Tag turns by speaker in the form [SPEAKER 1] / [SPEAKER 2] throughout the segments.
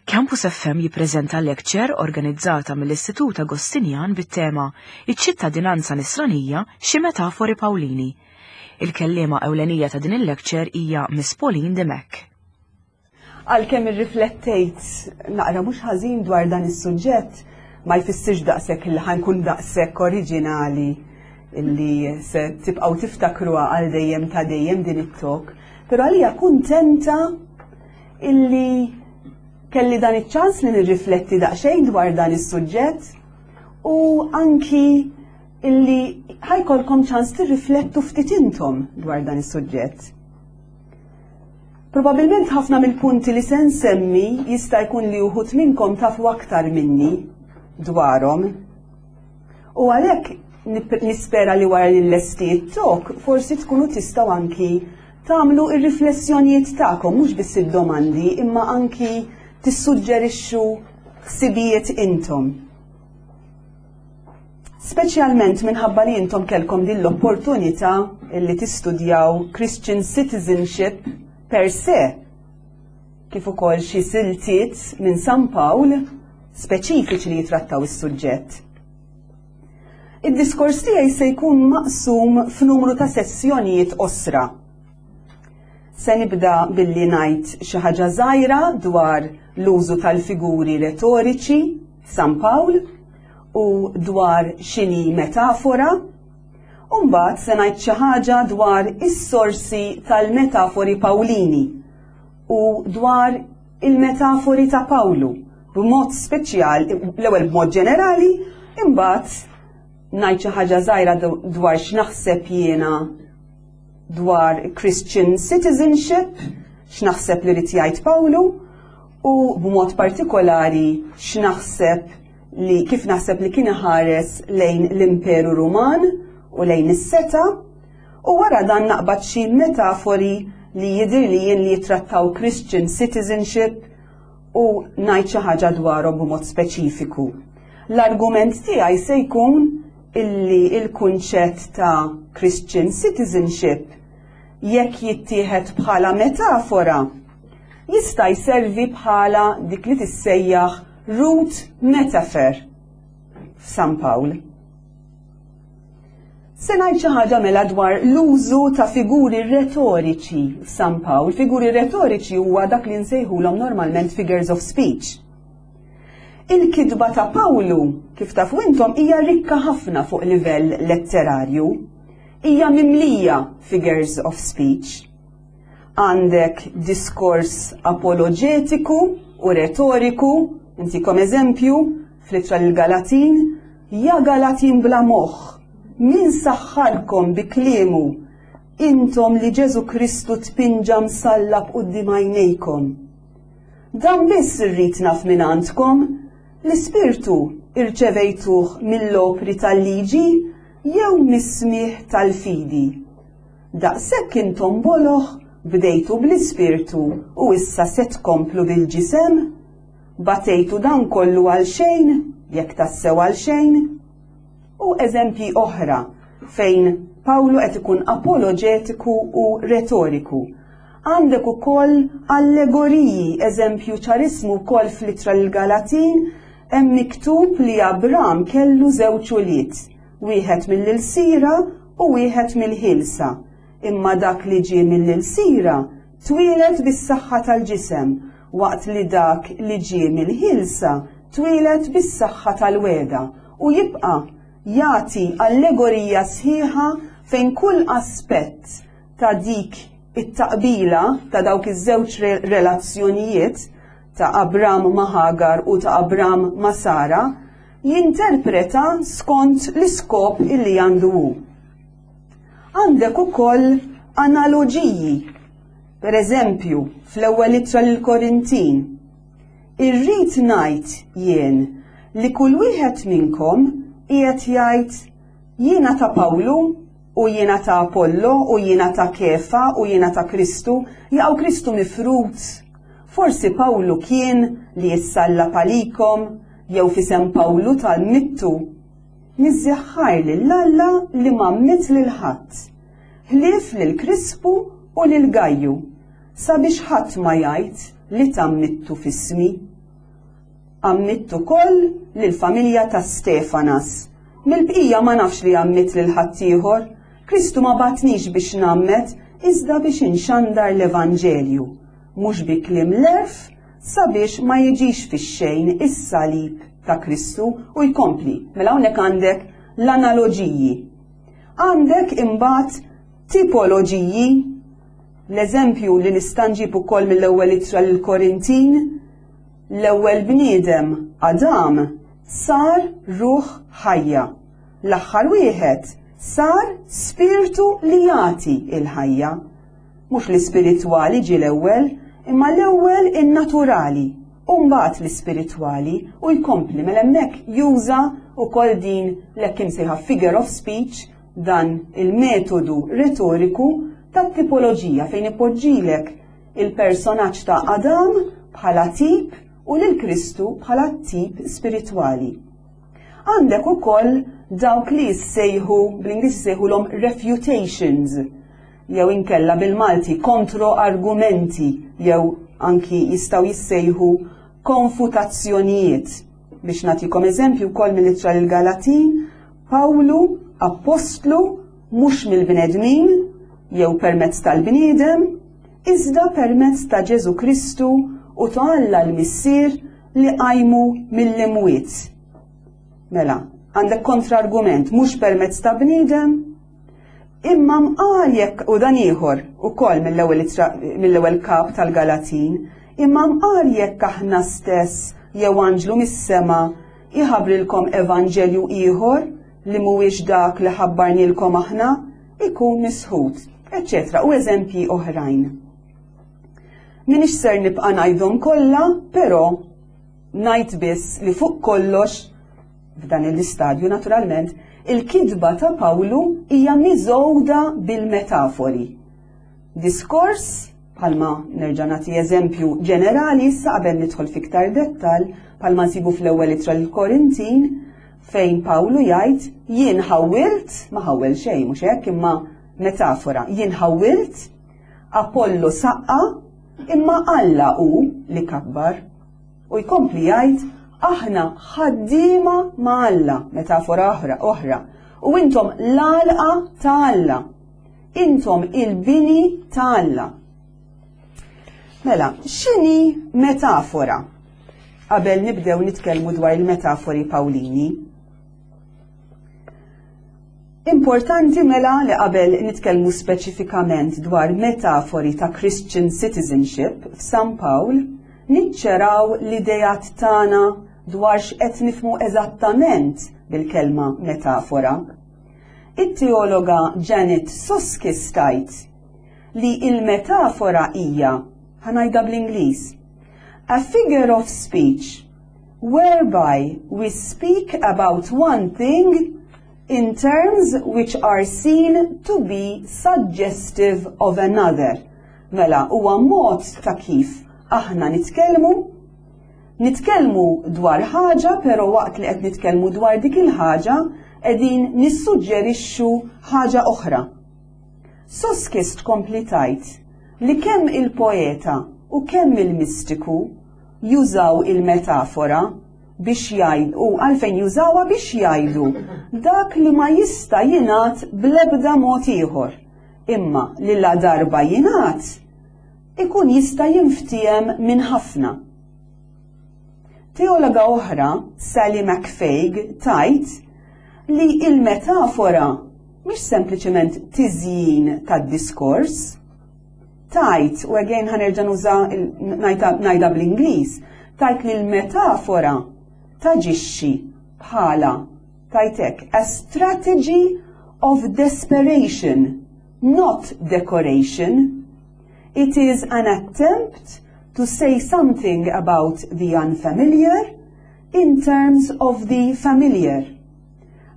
[SPEAKER 1] Campus FM jippreżenta lecture organizzata mill-Istitut Agostinjan bit-tema Iċ-ċittadinanza nisranija xi metafori Pawlini. Il-kelliema ewlenija ta' din il-lecture hija Miss Pauline Dimech.
[SPEAKER 2] Għalkemm irriflettejt naqra mhux ħażin dwar dan is-suġġett, ma jfissirx daqshekk li ħankun daqshekk oriġinali illi se tibqgħu tiftakruha għal dejjem ta' dejjem din it-talk, però għalija kuntenta illi kelli dan iċ-ċans li nirrifletti daqsxejn dwar dan is-suġġett u anki illi ħajkolkom ċans tirriflettu ftit intom dwar dan is-suġġett. Probabilment ħafna mill-punti li se nsemmi jista' jkun li uħud minnkom tafu aktar minni dwarhom. U għalhekk nispera li wara li l-lesti tok forsi tkunu tistgħu anki tagħmlu ir-riflessjonijiet tagħkom mhux biss id-domandi imma anki tissuġġerixxu ħsibijiet intom. Speċjalment minħabba li intom kellkom din l-opportunità li tistudjaw Christian Citizenship per se, kif ukoll xi siltiet minn San Pawl speċifiċi li jitrattaw is-suġġett. Id-diskors tiegħi se jkun maqsum f'numru ta' sessjonijiet qosra. Se nibda billi ngħid xi ħaġa żgħira dwar l-użu tal-figuri retoriċi f'San Pawl u dwar x'inhi metafora, u mbagħad se ngħid xi ħaġa dwar is-sorsi tal-metafori Pawlini u dwar il-metafori ta' Pawlu b'mod speċjal, l-ewwel b'mod ġenerali, imbagħad ngħid xi ħaġa żgħira dwar x'naħseb jiena dwar Christian citizenship, x'naħseb li rid jgħid Pawlu, u b'mod partikolari x'naħseb li kif naħseb li kien iħares lejn l-Imperu Ruman u lejn is-seta, u wara dan naqbad xi metafori li jidhir li jien li jitrattaw Christian citizenship u ngħid xi ħaġa dwarhom b'mod speċifiku. L-argument tiegħi se jkun illi il-kunċett ta' Christian citizenship jekk jittieħed bħala metafora jista' jservi bħala dik li tissejjaħ root metaphor f'San Pawl. Se ngħid xi ħaġa mela dwar l-użu ta' figuri retoriċi f'San Pawl. Figuri retoriċi huwa dak li nsejħulhom normalment figures of speech. Il-kitba ta' Pawlu, kif tafu intom, hija rikka ħafna fuq livell letterarju. Hija mimlija figures of speech. Għandek diskors apologetiku u retoriku, intikom eżempju, fl-ittra l-Galatin, ja Galatin bla moħħ, min saħħarkom bi kliemu, intom li Ġesu Kristu tpinġa msallab quddiem għajnejkom. Dan biss irrid naf minn għandkom, l-Ispirtu irċevejtuh mill-opri tal-liġi jew mis-smigħ tal-fidi? Daqshekk intom boloh bdejtu bl-Ispirtu u issa se tkomplu bil-ġisem? Batejtu dan kollu għal xejn, jekk tassew għal xejn? U eżempji oħra fejn Pawlu qed ikun apoloġetiku u retoriku. Għandek ukoll allegoriji, eżempju ċarismu wkoll fl-ittra lill-Galatin hemm miktub li Abram kellu żewġ ulied, wieħed mill-ilsira u wieħed mill-ħielsa. Imma dak li ġie mill-ilsira twieled bis-saħħa tal-ġisem, waqt li dak li ġie mill-ħielsa twieled bis-saħħa tal-wegħda u jibqa' jagħti allegorija sħiħa fejn kull aspett ta' dik it-taqbila ta' dawk iż-żewġ relazzjonijiet ta' Abram ma' Hagar u ta' Abram ma' Sara jinterpreta skont l-iskop illi għandu hu. Għandek ukoll analoġiji. Per eżempju, fl-ewwel ittra lill-Korintin, irrid ngħid jien li kull wieħed minnkom qiegħed jgħid jiena ta' Pawlu u jiena ta' Apollo u jiena ta' Kefa u jiena ta' Kristu, jaqgħu Kristu mifrud. Forsi Pawlu kien li jissallab għalikom jew f'isem Pawlu tal-mittu. Niżżeħħajr lil Alla li ma mmitt lil ħadd, ħlief lil Krispu u lil Gajju, sabiex ħadd ma jgħid li tgħammidtu f'ismi. Għammidt ukoll lill-familja ta' Stefanas. Mill-bqija ma nafx li għammidt lil ħaddieħor. Kristu ma bagħatnix biex ngħammed, iżda biex inxandar l-evanġelju, mhux bi kliem l-għerf, sabiex ma jiġix fix-xejn is-salib ta' Kristu u jkompli. Mela hawnhekk għandek l-analoġiji. Għandek imbagħad tipoloġiji, l-eżempju li nista' nġib ukoll mill-ewwel ittra lill-Korintin, l-ewwel bniedem Adam sar ruħ ħajja. L-aħħar wieħed sar spirtu li jagħti il-ħajja. Mhux l-ispiritwali ġie l-ewwel, imma l-ewwel in-naturali u mbagħad l-ispiritwali u jkompli mela hemmhekk juża wkoll din l-hekk imsejħa figure of speech dan il-metodu retoriku tat-tipoloġija fejn ipoġġilek il-personaġġ ta' Adam bħala tip u lil Kristu bħala tip spiritwali. Għandek ukoll dawk li jissejħu bl-Ingliż jissejħulhom refutations jew inkella bil-Malti kontro-argumenti jew anki jistgħu jissejħu konfutazzjonijiet. Biex nagħtikom eżempju wkoll mill-ittra lil Galatin, Pawlu appostlu mhux mill-bnedmin jew permezz tal-bniedem, iżda permezz ta' Ġesu Kristu u ta' Alla l-Missier li qajmu mill-imwiet. Mela, għandek kontrargument mhux permezz ta' bniedem, imma mqar jekk u dan ieħor ukoll mill-ewwel mill-ewwel kap tal-Galatin, imma mqar jekk aħna stess jew anġlu mis-sema iħabbrilkom evanġelju ieħor li mhuwiex dak li ħabbarnilkom aħna, ikun misħut, eċċetera, u eżempji oħrajn. Minix ser nibqa' ngħidhom kollha, però ngħid biss li fuq kollox f'dan l-istadju naturalment, il-kitba ta' Pawlu hija miżgħuda bil-metafori. Diskors, bħalma nerġa' nagħti eżempju ġenerali issa qabel nidħol fiktar dettal, bħalma nsibu fl-ewwel ittra lill-Korintin, fejn Pawlu jgħid jien ħawwilt, ma ħawwel xejn mhux hekk imma metafora, jien ħawwilt, Apollo saqqa, imma Alla hu li kabbar. U jkompli jgħid aħna ħaddiema ma' Alla, metafora oħra, oħra, u intom l-għalqa ta' Alla. Intom il-bini ta' Alla. Mela, x'inhi metafora? Qabel nibdew nitkellmu dwar il-metafori Pawlini. Importanti mela li qabel nitkellmu speċifikament dwar metafori ta' Christian citizenship f'San Pawl, niċċeraw l-ideat tagħna dwar x'qed nifhmu eżattament bil-kelma metafora. It-teologa Janet Soskice tgħid li il-metafora hija, ħa ngħidha bl-Ingliż, a figure of speech whereby we speak about one thing in terms which are seen to be suggestive of another. Mela, huwa mod ta' kif aħna nitkellmu, nitkellmu dwar ħaġa, pero waqt li qed nitkellmu dwar dik il-ħaġa, qegħdin nissuġġerixxu ħaġa oħra. Soskice tkompli tgħid li kemm il-poeta u kemm il-mistiku jużaw il-metafora biex jgħidu, u għalfejn jużawha biex jgħidu dak li ma jista' jingħad bl-ebda mod ieħor, imma li la darba jingħad ikun jista' jinftiehem minn ħafna. Teologa oħra, Sallie McFague, tgħid li il-metafora mhix sempliċement tiżjin tad-diskors, tgħid, u again ħa nerġa' nuża ngħidha bl-Ingliż, tgħid li l-metafora taġixxi bħala tgħid a strategy of desperation, not decoration. It is an attempt to say something about the unfamiliar in terms of the familiar.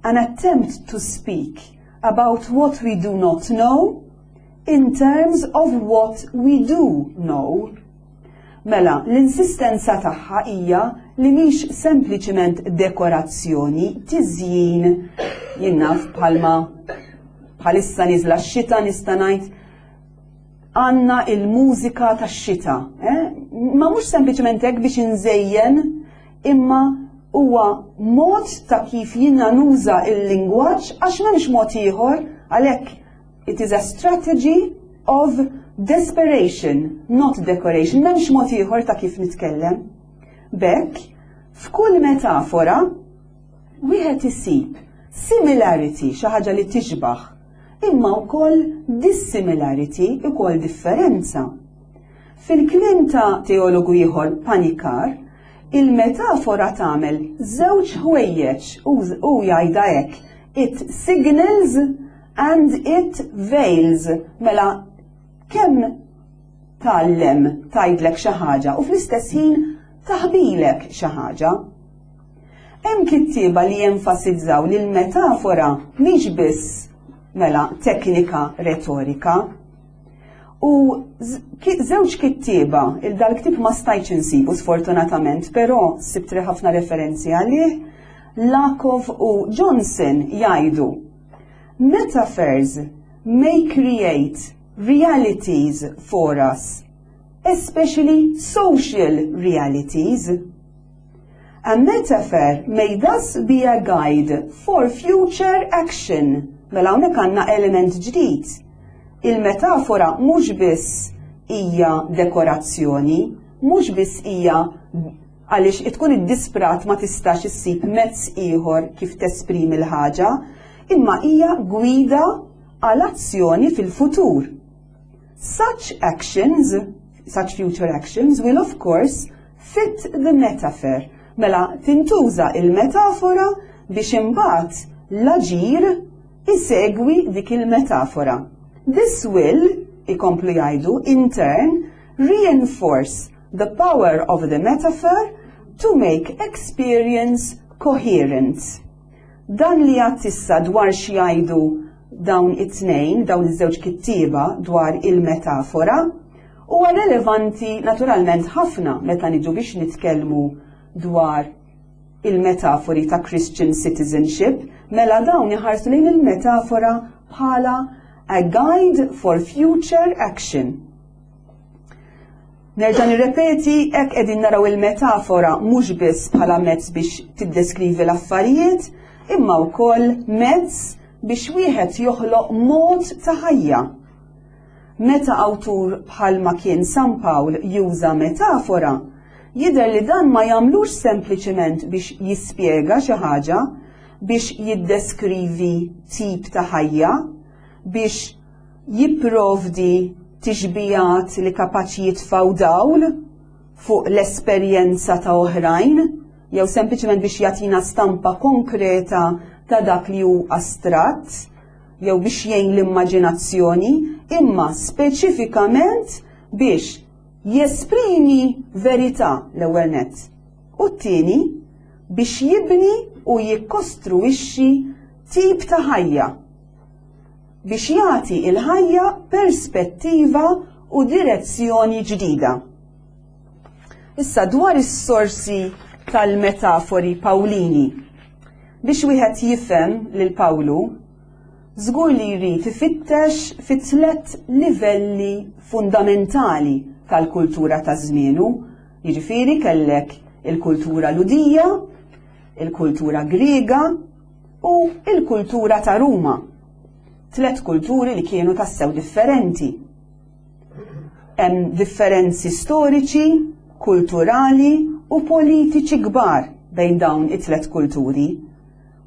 [SPEAKER 2] An attempt to speak about what we do not know in terms of what we do know. Mela, l-insistenza tagħha hija li mhix sempliċiment dekorazzjoni, tiżjin, jien naf bħalma bħalissa niżla x-xita nista' ngħid għandna il-mużika tax-xita. Eh? Ma mhux sempliċement hekk biex inżejjen, imma huwa mod ta' kif jiena nuża il-lingwaġġ għax m'hemmx mod ieħor għalhekk it is a strategy of desperation, not decoration, m'hemmx mod ieħor ta' kif nitkellem. B'hekk, f'kull metafora, wieħed isib similarity, xi ħaġa li tixbaħ, imma wkoll dissimilarity, ukoll differenza. Fil-kliem ta' teologu ieħor Panikar, il-metafora tagħmel żewġ ħwejjeġ u jgħidha hekk, it signals and it veils. Mela kemm tgħallem tgħidlek xi ħaġa u fl-istess ħin taħbilek xi ħaġa. Hemm kittieba li jenfasizzaw li l-metafora mhix biss mela teknika retorika. U żewġ kittieba, il dal-ktieb ma stajtx insibu sfortunatament, però sibt ħafna referenzi għalih, Lakov u Johnson jgħidu Metaphors may create realities for us, especially social realities. A metaphor may thus be a guide for future action. Mela hawnhekk għandna element ġdid. Il-metafora mhux biss hija dekorazzjoni, mhux biss hija għaliex tkun iddisprat ma tistax issib mezz ieħor kif tesprimi l-ħaġa, imma hija gwida għal azzjoni fil-futur. Such actions, such future actions will of course fit the metaphor. Mela tintuża il-metafora biex imbagħad l-aġir isegwi dik il-metafora. This will, ikomplu jgħidu, in turn, reinforce the power of the metaphor to make experience coherent. Dan li għedt issa dwar x'jgħidu dawn it-tnejn, dawn iż-żewġ kittieba dwar il-metafora, huwa relevanti naturalment ħafna meta niġu biex nitkellmu dwar il-metafori ta' Christian citizenship, mela dawn iħarsu lejn il-metafora bħala a guide for future action. Nerġa' nirrepeti, hekk qegħdin naraw il-metafora mhux biss bħala mezz biex tiddeskrivi l-affarijiet, imma wkoll mezz biex wieħed joħloq mod ta' ħajja. Meta awtur bħalma kien San Pawl juża metafora, jidher li dan ma jagħmlux sempliċement biex jispjega xi ħaġa, biex jiddeskrivi tip ta' ħajja, biex jipprovdi tixbijat li kapaċi jitfaw dawl fuq l-esperjenza ta' oħrajn, jew sempliċement biex jagħtina stampa konkreta ta' dak li hu astratt, jew biex jgħin l-immaġinazzjoni, imma speċifikament biex jesprimi verità l-ewwel nett. U t-tieni biex jibni u jikkostruixxi tip ta' ħajja biex jagħti il-ħajja perspettiva u direzzjoni ġdida. Issa dwar is-sorsi tal-metafori Pawlini. Biex wieħed jifhem lil Pawlu, żgur li jrid ifittex fi tliet livelli fundamentali tal-kultura ta' żmienu, jiġifieri kellek il-kultura Lhudija, il-kultura Griega u il-kultura ta' Ruma. Tlet kulturi li kienu tassew differenti. Hemm differenzi storiċi, kulturali u politiċi kbar bejn dawn it-tlet kulturi.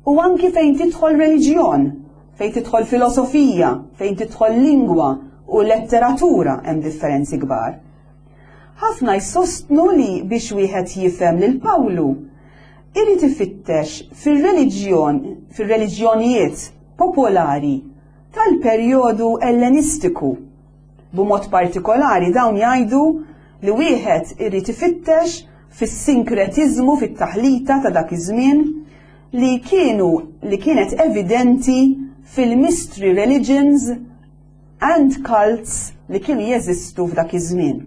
[SPEAKER 2] U anki fejn tidħol reliġjon, fejn tidħol filosofija, fejn tidħol lingwa u letteratura hemm differenzi kbar. Ħafna jsostnu li biex wieħed jifhem lil Pawlu, irid ifittex fir-reliġjon, fir-reliġjonijiet popolari tal-perjodu ellenistiku. B'mod partikolari dawn jgħidu li wieħed irid ifittex fis-sinkretiżmu fit-taħlita ta' dak iż-żmien li kienu li kienet evidenti fil-mystery religions and cults li kienu jeżistu f'dak iż-żmien.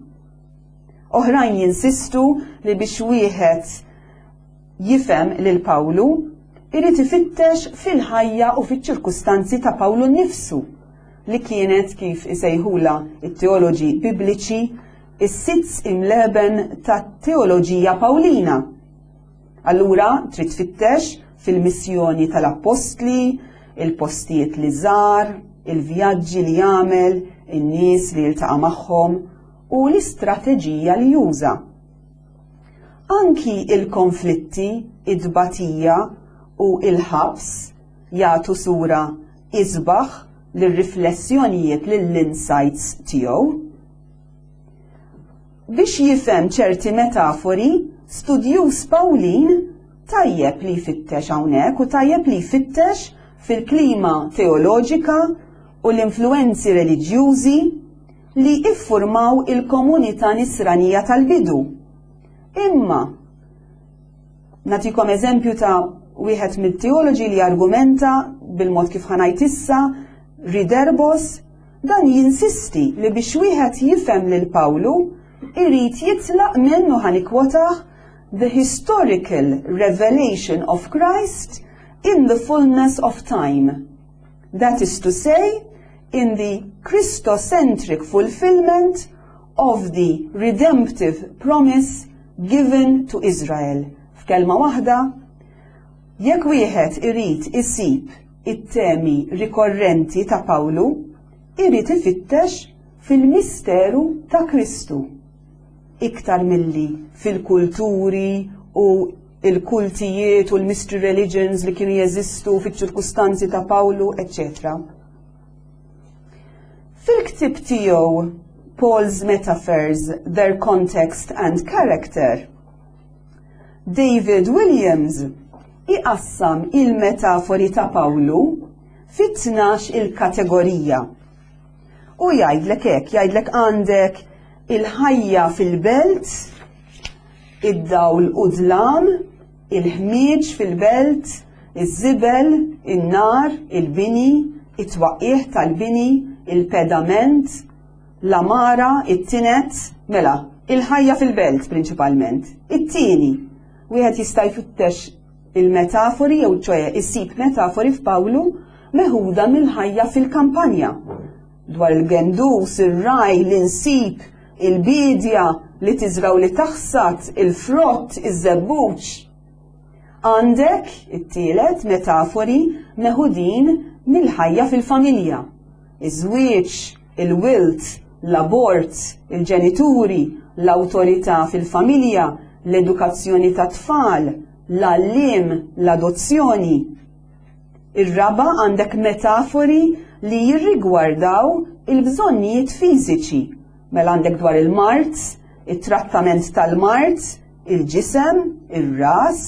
[SPEAKER 2] Oħrajn jinsistu li biex wieħed jifhem lil Pawlu, irid ifittex fil-ħajja u fiċ-ċirkustanzi ta' Pawlu nnifsu li kienet kif isejħula it-teoloġi bibliċi is-Sitz im Leben tat-teoloġija Pawlina. Allura trid tfittex fil-missjoni tal-appostli, il-postijiet li żar, il-vjaġġi li jagħmel, in-nies li jiltaqa' magħhom u l-istrateġija li juża. Anki il-konflitti, it-tbatija u il-ħabs jagħtu sura isbaħ lir-riflessjonijiet lill-insights tiegħu. Biex jifhem ċerti metafori, studjuż Pawlin tajjeb li jfittex hawnhekk u tajjeb li jfittex fil-klima teoloġika u l-influenzi reliġjużi li iffurmaw il-komunità nisranija tal-bidu. Imma, nagħtikom eżempju ta' wieħed mit-teoloġi li argumenta bil-mod kif ħa ngħid issa, Riderbos, dan jinsisti li biex wieħed jifhem lil Pawlu irid jitlaq minn u ħa nikkwotah the historical revelation of Christ in the fullness of time. That is to say, in the Christocentric fulfillment of the redemptive promise given to Israel. F'kelma waħda, jekk wieħed irid isib it-temi rikorrenti ta' Pawlu, irid ifittex fil-misteru ta' Kristu, iktar milli fil-kulturi u il-kultijiet u l-mystery religions li kienu jeżistu fiċ-ċirkustanzi ta' Pawlu, etc. Fil-ktib tiegħu Paul's Metaphors, Their Context and Character, David Williams iqassam il-metafori ta' Pawlu fit-12 il-kategorija. U jgħidlek hekk, jgħidlek għandek il-ħajja fil-belt, id-dawl u dlam, il-ħmieġ fil-belt, iż-żibel, in-nar, il-bini, it-twaqqigħ tal-bini, il-pedament, l-għamara, it-tinet, mela, il-ħajja fil-belt prinċipalment. It-tieni, wieħed jista' jfittex il-metafori jew ċoe isib metafori f'Pawlu meħuda mill-ħajja fil-kampanja dwar il-gendus, ir-raj, l-insib, il-bidja li tiżraw li taħsad, il-frott, iż-żebbuġ. Għandek, it-tielet, metafori meħudin mill-ħajja fil-familja. Iż-żwieġ, il-wilt, l-abort, il-ġenituri, l-awtorità fil-familja, l-edukazzjoni tat-tfal, l-għalliem, l-adozzjoni. Ir-raba' għandek metafori li jirrigwardaw il-bżonnijiet fiżiċi. Mela għandek dwar il-mard, it-trattament tal-mard, il-ġisem, ir-ras,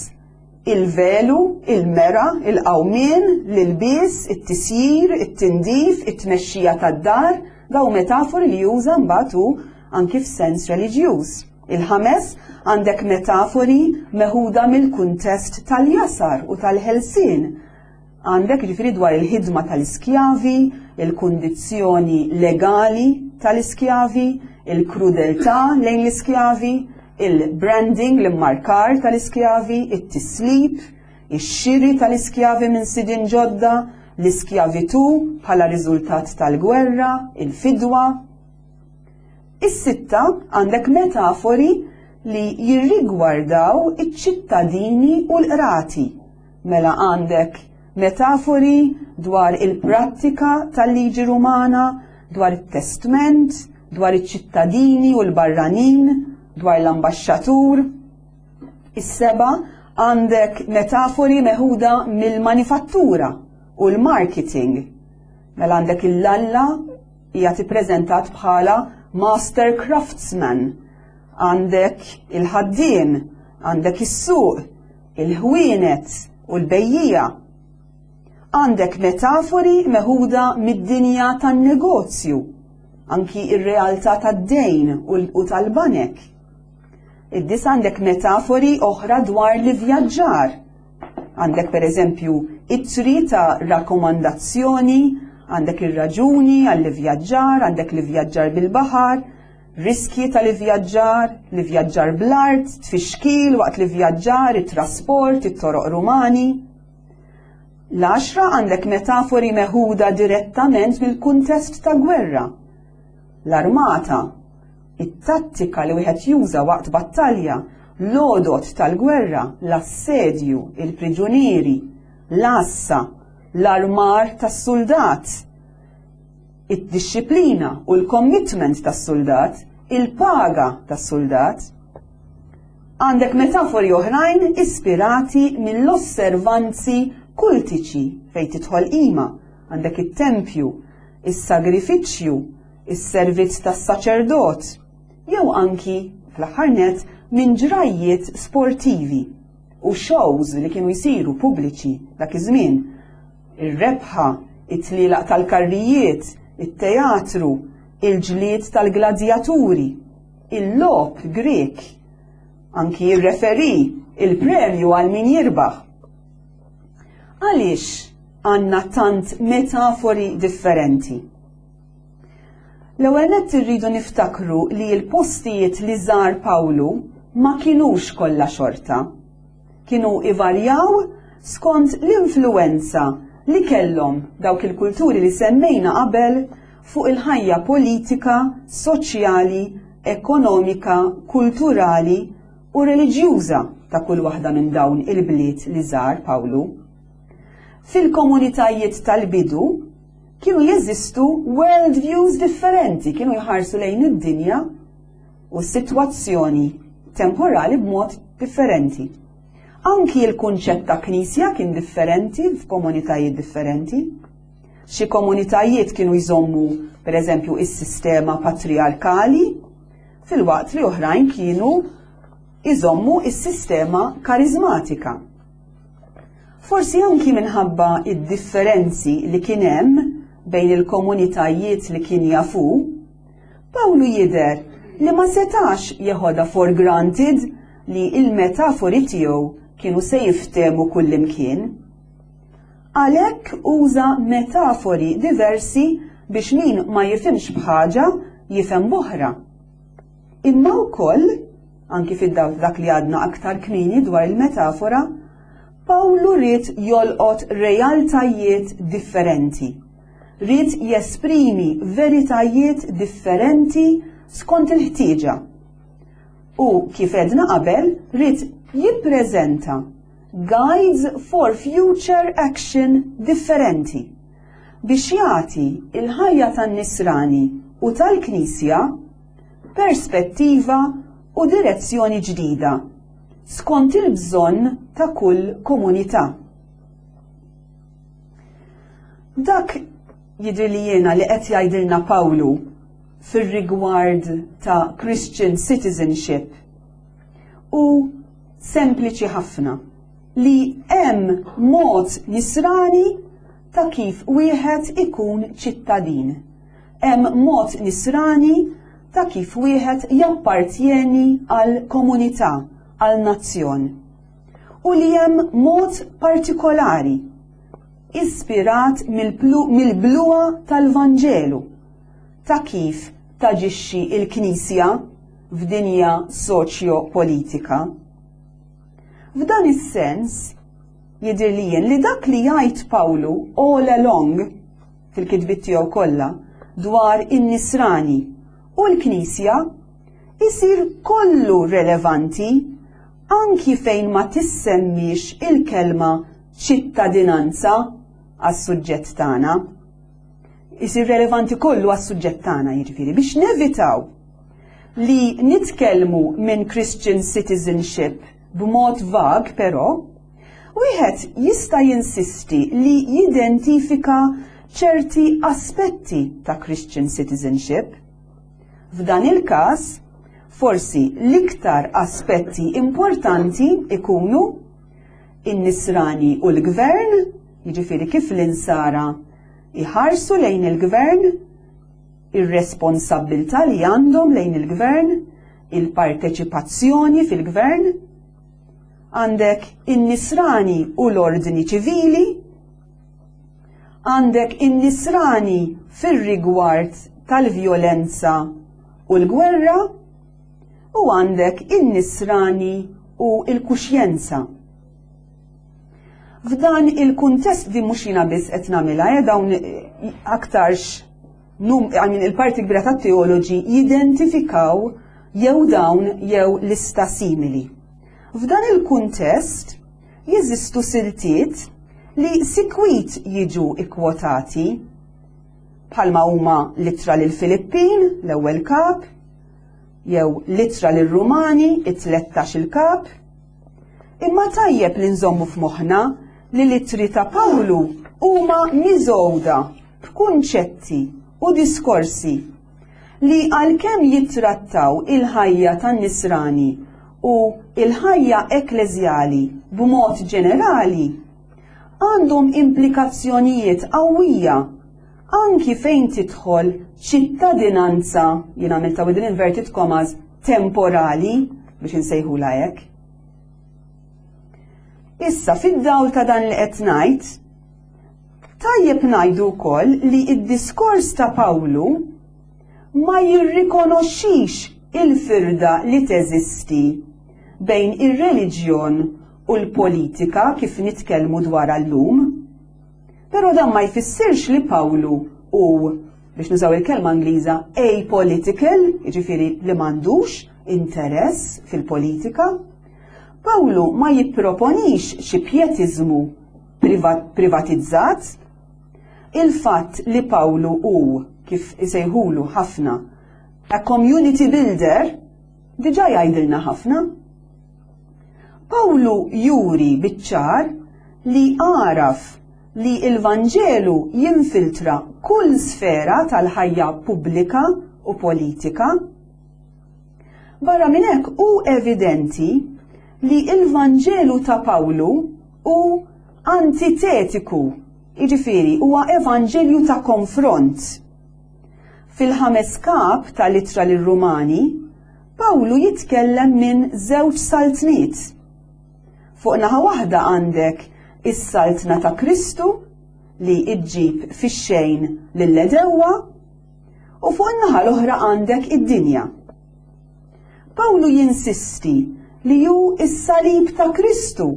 [SPEAKER 2] il-velu, il-mera, il-qawmien, l-ilbies, it-tisjir, it-tindif, it-tmexxija tad-dar, daw metafori li juża mbagħad hu anki f'sens reliġjuż. Il-ħames, għandek metafori meħuda mill-kuntest tal-jasar u tal-ħelsien. Għandek ġifieri dwar il-ħidma tal-iskjavi, il-kundizzjoni legali tal-iskjavi, il-krudeltà lejn l-iskjavi, il-branding, l-immarkar tal-iskjavi, it-tislib, ix-xiri tal-iskjavi minn sidien ġodda, l-iskjavitù bħala riżultat tal-gwerra, il-fidwa. Is-sitta għandek metafori li jirrigwardaw iċ-ċittadini u l-qrati. Mela għandek metafori dwar il-prattika tal-liġi Rumana, dwar it-testment, dwar iċ-ċittadini u l-barranin, dwar l-ambaxxatur. Is-seba għandek metafori meħuda mill-manifattura u l-marketing. Mela għandek il-lalla hija tippreżentat bħala master craftsman. Għandek il-ħaddiem, għandek is-suq, il-ħwienet u l-bejjiegħa. Għandek metafori meħuda mid-dinja tan-negozju, anki ir-realtà tad-dejn u tal-banek. Id-disa għandek metafori oħra dwar l-ivvjaġġar. Għandek per eżempju ittri ta' rakkomandazzjoni, għandek ir-raġuni għall-ivvjaġġar, għandek l-ivvjaġġar bil-baħar, riskji tal-ivvjaġġar, l-ivvjaġġar bl-art, tfixkil waqt l-ivvjaġġar, it-trasport, it-toroq Rumani. L-għaxra għandek metafori meħuda direttament mill-kuntest ta' gwerra. L-armata, it-tattika li wieħed juża waqt battalja. l-għodod tal-gwerra, l-assedju, il-priġunieri, l-għassa, l-armar tas-suldat, id-dixxiplina u l-commitment tas-suldat, il-paga tas-suldat. Għandek metafori oħrajn ispirati mill-osservanzi kultiċi fejn tidħol qima, għandek it-tempju, is-sagrifiċċju, is-servizz tas-saċerdot, jew anki, fl-aħħar nett, minn ġrajjiet sportivi u shows li kienu jsiru pubbliċi dak iż-żmien. Ir-rebħa, it-tlielaq tal-karrijiet, it-teatru, il-ġlied tal-gladjaturi, il-logħob Grieg, anki ir-referee, il-premju għal min jirbaħ. Għaliex għandna tant metafori differenti? L-ewwel nett irridu niftakru li l-postijiet li żar Pawlu ma kinux kollha xorta. Kienu ivarjaw skont l-influwenza li kellhom dawk il-kulturi li semmejna qabel fuq il-ħajja politika, soċjali, ekonomika, kulturali u reliġjuża ta' kull waħda minn dawn il-bliet li żar Pawlu. Fil-komunitajiet tal-bidu, kienu jeżistu world views differenti, kienu jħarsu lejn id-dinja u s-sitwazzjoni temporali b'mod differenti. Anki l-kunċett ta' knisja kien differenti f'komunitajiet differenti. Xi komunitajiet kienu jżommu, per eżempju, is-sistema patriarkali, filwaqt li oħrajn kienu jżommu is-sistema karizmatika. Forsi anki minħabba id-differenzi li kien hemm bejn il-komunitajiet li kien jafu, Pawlu jidher li ma setax jeħodha for granted li il-metafori tiegħu kienu se jiftehmu kullimkien. Għalhekk uża metafori diversi biex min ma jifhimx b'ħaġa jifhem b'oħra. Imma wkoll, anki fid-dawl dak li għadna aktar kmieni dwar il-metafora, Pawlu ried jolqot realtajiet differenti. Ried jesprimi veritajiet differenti skont il-ħtieġa. U kif għedna qabel, ried jippreżenta guides for future action differenti biex jagħti il-ħajja tan-nisrani u tal-Knisja perspettiva u direzzjoni ġdida skont il-bżonn ta' kull komunità. Dak jidri li jiena li qed jgħidilna Pawlu fir-rigward ta' Christian citizenship u sempliċi ħafna li hemm mod nisrani ta' kif wieħed ikun ċittadin. Hemm mod nisrani ta' kif wieħed jappartjeni għal komunità, għal nazzjon. U li hemm mod partikolari ispirat mill-bluha tal-Vanġelu ta' kif taġixxi il-Knisja f'dinja soċjo-politika. F'dan is-sens, jidhirli jien li dak li jgħid Pawlu all along fil-kitbiet tiegħu kollha dwar in-nisrani u l-Knisja isir kollu relevanti anki fejn ma tissemmix il-kelma ċittadinanza għas-suġġett tagħna. Isir relevanti kollu għas-suġġett tagħna jiġifieri biex nevitaw li nitkellmu minn Christian citizenship b'mod vag però, wieħed jista' jinsisti li jidentifika ċerti aspetti ta' Christian citizenship. F'dan il-każ, forsi l-iktar aspetti importanti ikunu in-nisrani u l-gvern, jiġifieri kif l-insara iħarsu lejn il-gvern, ir-responsabbiltà li għandhom lejn il-gvern, il-parteċipazzjoni fil-gvern, għandek in-nisrani u l-ordni ċivili, għandek in-nisrani fir-rigward tal-vjolenza u l-gwerra, u għandek in-nisrani u l-kuxjenza. F'dan il-kuntest di mhux jiena biss qed nagħmilha, eh, dawn eh, aktarx num, I mean, il-parti kbira tat-teoloġi jidentifikaw jew dawn jew lista simili. F'dan il-kuntest jeżistu siltiet li sikwit jiġu ikkwotati bħalma huma l-ittra lil Filippin, l-ewwel kap, jew l-ittra lir-Rumani, it-tlettax-il kap. Imma tajjeb li nżommu f'moħħna li l-ittri ta' Pawlu huma miżgħuda b'kunċetti u diskorsi li għalkemm jittrattaw il-ħajja tan-nisrani u l-ħajja ekkleżjali b'mod ġenerali, għandhom implikazzjonijiet qawwija anki fejn tidħol ċittadinanza, jien għamilta within inverted commas, temporali biex insejħula hekk. Issa fid-dawl ta' dan li qed ngħid, tajjeb ngħidu wkoll li d-diskors ta' Pawlu ma jirrikonoxxix il-firda li teżisti bejn ir-reliġjon u l-politika kif nitkellmu dwarha llum. Però dan ma jfissirx li Pawlu hu, biex nużaw il-kelma Ingliża, apolitical, jiġifieri li m'għandux interess fil-politika. Pawlu ma jipproponix xi pjetiżmu privatizzat. Il-fatt li Pawlu hu, kif isejħulu ħafna, a community builder, diġà jgħidilna ħafna. Pawlu juri biċ-ċar li għaraf li l-Vanġelu jinfiltra kull sfera tal-ħajja pubblika u politika. Barra minn hekk hu evidenti li l-Vanġelu ta' Pawlu hu antitetiku, jiġifieri huwa evanġelju ta' konfront. Fil-ħames kap tal-Ittra lir-Rumani, Pawlu jitkellem minn żewġ saltniet. Fuq naħa waħda għandek is-saltna ta' Kristu li ġġib fix-xejn lill-għedewwa u fuq in-naħa l-oħra għandek id-dinja. Pawlu jinsisti li hu s-salib ta' Kristu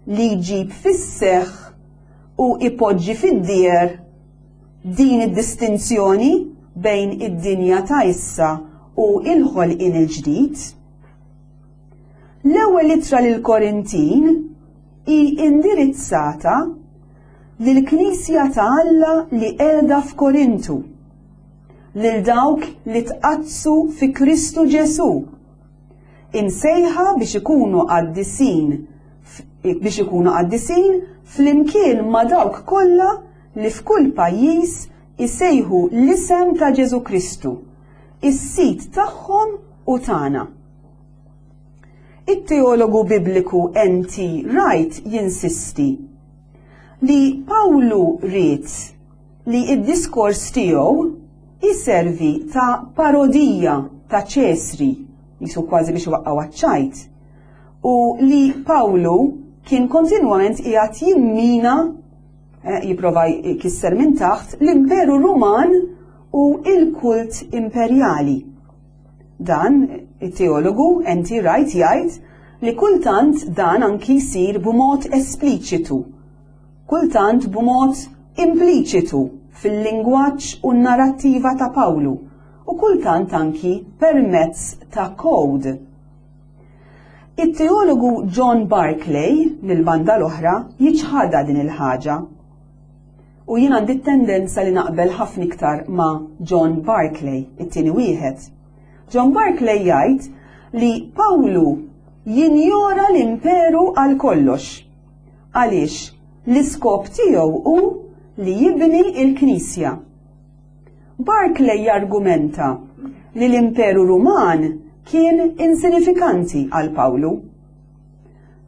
[SPEAKER 2] li jġib fis-seħħ u ipoġġi fid-dieher din id-distinzjoni bejn id-dinja ta' issa u l-ħolqien il-ġdid. L-ewwel ittra lill-Korintin hi indirizzata lill-Knisja ta' Alla li qiegħda f'Korintu, lil dawk li tqaddsu fi Kristu Ġesù, imsejħa biex ikunu qaddisin biex ikunu qaddisin flimkien ma' dawk kollha li f'kull pajjiż isejħu l-isem ta' Ġesù Kristu, is-Sid tagħhom u tagħna. It-teologu Bibliku N.T. Wright jinsisti li Pawlu ried li d-diskors tiegħu jservi ta' parodija ta' Ċesri, jisu kważi biex iwaqqgħu għaċ-ċajt, u li Pawlu kien kontinwament qiegħed jimmina eh, jipprova jkisser minn taħt l-Imperu Ruman u il-kult imperjali. Dan it-teologu N.T. Wright jgħid li kultant dan anki jsir b'mod espliċitu, kultant b'mod impliċitu fil-lingwaġġ u n-narrattiva ta' Pawlu u kultant anki permezz ta' kod. It-teologu John Barclay, mill-banda l-oħra, jiċħadha din il-ħaġa. U jien għandi t-tendenza li naqbel ħafna iktar ma' John Barclay, it-tieni wieħed. John Barclay jgħid li Pawlu jinjora l-imperu għal kollox. Għaliex l-iskop tiegħu hu li jibni l-Knisja. Barclay jargumenta li l-Imperu Ruman kien insinifikanti għal Pawlu.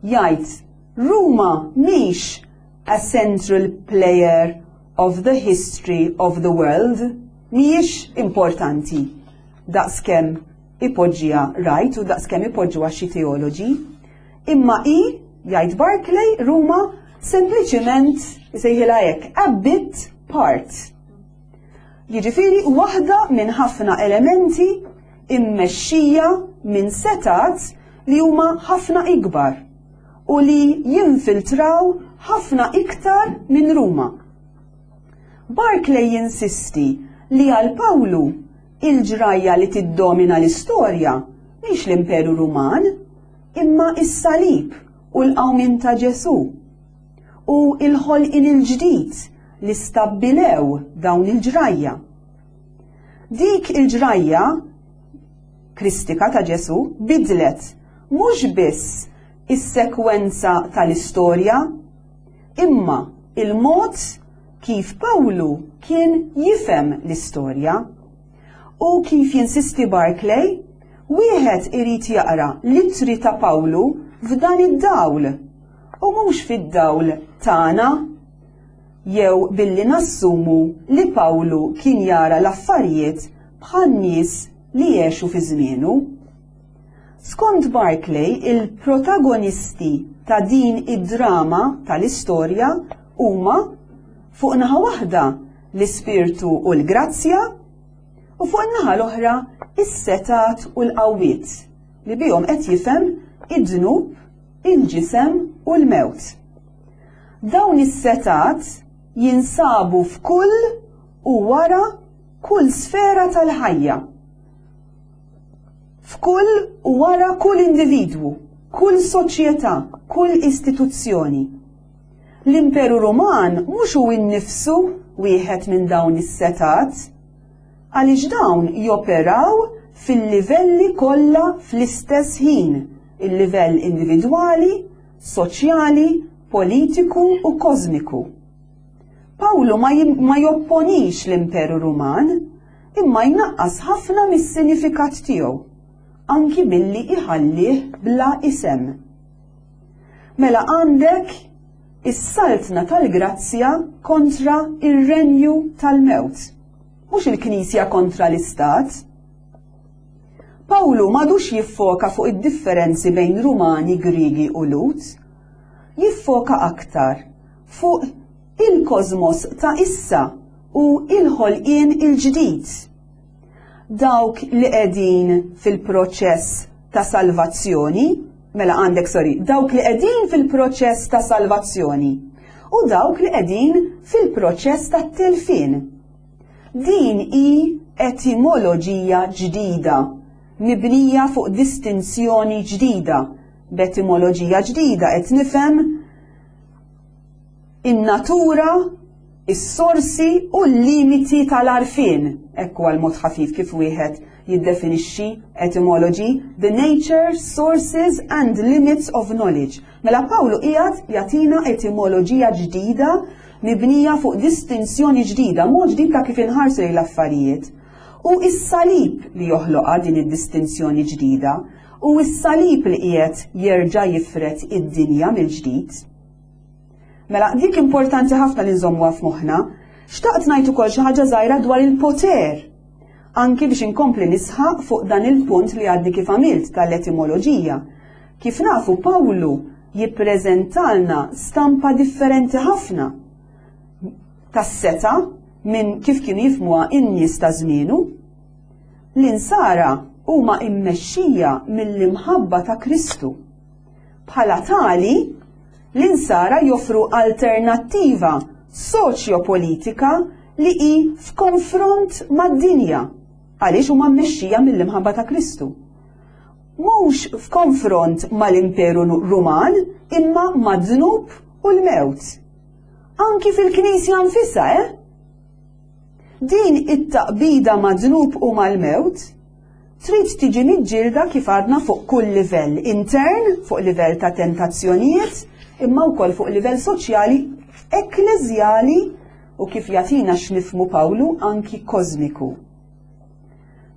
[SPEAKER 2] Jgħid Ruma mhix a central player of the history of the world, mhijiex importanti daqskemm ipoġġiha Wright u daqskemm ipoġġuha xi teoloġi. Imma hi, jgħid Barclay, Ruma sempliċiment isejħilha hekk, a bit part. Jiġifieri waħda minn ħafna elementi immexxija minn setat li huma ħafna ikbar u li jinfiltraw ħafna iktar minn Ruma. Barclay jinsisti li għal Pawlu il-ġrajja li tiddomina l-istorja mhix l-Imperu Ruman, imma is-salib u l-qawmien ta' Ġesù u l-ħolqien il-ġdid li stabbilew dawn il-ġrajja. Dik il-ġrajja Kristika ta' Ġesù bidlet mhux biss is-sekwenza tal-istorja, imma il-mod kif Pawlu kien jifhem l-istorja. U kif jinsisti Barclay, wieħed irid jaqra l-ittri ta' Pawlu f'dan id-dawl u mhux fid-dawl tagħna jew billi nassumu li Pawlu kien jara l-affarijiet bħan-nies li għexu fi żmienu. Skont Barclay, il-protagonisti ta' din id-drama tal-istorja huma fuq naħa waħda l-ispirtu u l-grazzja u fuq in-naħa l-oħra is-setgħat u l-qawwiet li bihom qed jifhem id-dnub, il-ġisem u l-mewt. Dawn is-setgħat jinsabu f'kull u wara kull sfera tal-ħajja. F'kull u wara kull individwu, kull soċjetà, kull istituzzjoni. L-Imperu Ruman mhux hu nnifsu wieħed minn dawn is-setgħat, għaliex dawn joperaw fil-livelli kollha fl-istess ħin, il-livell individwali, soċjali, politiku u kożmiku. Pawlu ma, ma jopponix l-Imperu Ruman, imma jnaqqas ħafna mis-sinifikat tiegħu, anki billi iħallih bla isem. Mela għandek is-saltna tal-grazzja kontra ir-renju tal-mewt. Mhux il-Knisja kontra l-Istat. Pawlu m'għadux jiffoka fuq id-differenzi bejn Rumani, Griegi u Lhud. Jiffoka aktar fuq il-kosmos ta' issa u il-ħolqien il-ġdid. Dawk li qegħdin fil-proċess ta' salvazzjoni, mela għandek sorry, dawk li qegħdin fil-proċess ta' salvazzjoni u dawk li qegħdin fil-proċess ta' telfien. Din hi etimoloġija ġdida, mibnija fuq distinzjoni ġdida. B'etimoloġija ġdida qed nifhem in-natura, is-sorsi u l-limiti tal-għarfien. Hekk huwa l-mod ħafif kif wieħed jiddefinixxi etymology, the nature, sources and limits of knowledge. Mela Pawlu qiegħed jagħtina etimoloġija ġdida mibnija fuq distinzjoni ġdida, mod ġdid ta' kif inħarsu lejn l-affarijiet. U is-salib li joħloqha din id-distinzjoni ġdida, u s-salib li qiegħed jerġa' jifred id-dinja mill-ġdid. Mela, dik importanti ħafna li nżommuha f'moħħna. Xtaqt ngħid ukoll xi ħaġa żgħira dwar il-poter. Anki biex inkompli nisħaq fuq dan il-punt li għadni kif għamilt tal-etimoloġija. Kif nafu Pawlu jippreżentalna stampa differenti ħafna tas-seta minn kif kienu jifmuha in-nies ta' żmienu. L-insara huma immexxija mill-imħabba ta' Kristu. Bħala tali, l-Insara joffru alternattiva soċjopolitika li hi f'konfront mad-dinja għaliex huma mmexxija mill-imħabba ta' Kristu. Mhux f'konfront mal-Imperu Ruman imma mad-dnub u l-mewt. Anki fil-Knisja nfisha, eh? Din it-taqbida mad-dnub u mal-mewt trid tiġi miġġielda kif għadna fuq kull livell intern, fuq livell ta' tentazzjonijiet, imma wkoll fuq livell soċjali, ekkleżjali u kif jagħtina x'nifmu Pawlu anki kosmiku.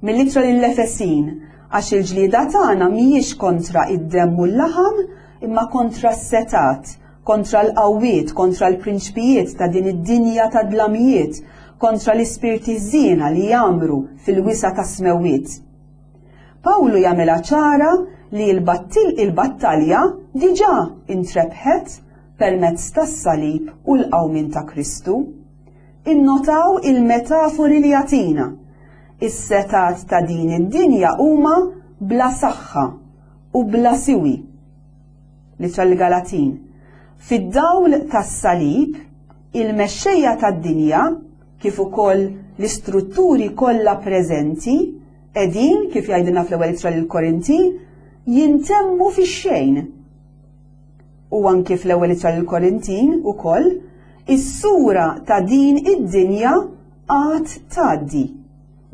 [SPEAKER 2] Mill-ittra lill-Efesin, għax il-ġlieda tagħna mhijiex kontra id-demm u l-laħam, imma kontra s-setat, kontra l-qawwiet, kontra l-prinċpijiet ta' din id-dinja ta' dlamijiet, kontra l-ispirti ħżiena li jgħammru fil-wisa' tas-smewwiet. Pawlu jagħmilha ċara li l-battalja diġà intrebħet permezz tas-salib u l-qawmien ta' Kristu. Innotaw il-metafori li jagħtina. Is-setgħat ta' din id-dinja huma bla saħħa u bla siwi. L-Ittra lill-Galatin. Fid-dawl tas-salib, il-mexxejja tad-dinja, kif ukoll l-istrutturi kollha preżenti, qegħdin, kif jgħidilna fl-ewwel ittra lill-Korintin, jintemmu fix-xejn. U anki fl-ewwel ittra lill-Korintin ukoll, is-sura ta' din id-dinja għad tgħaddi.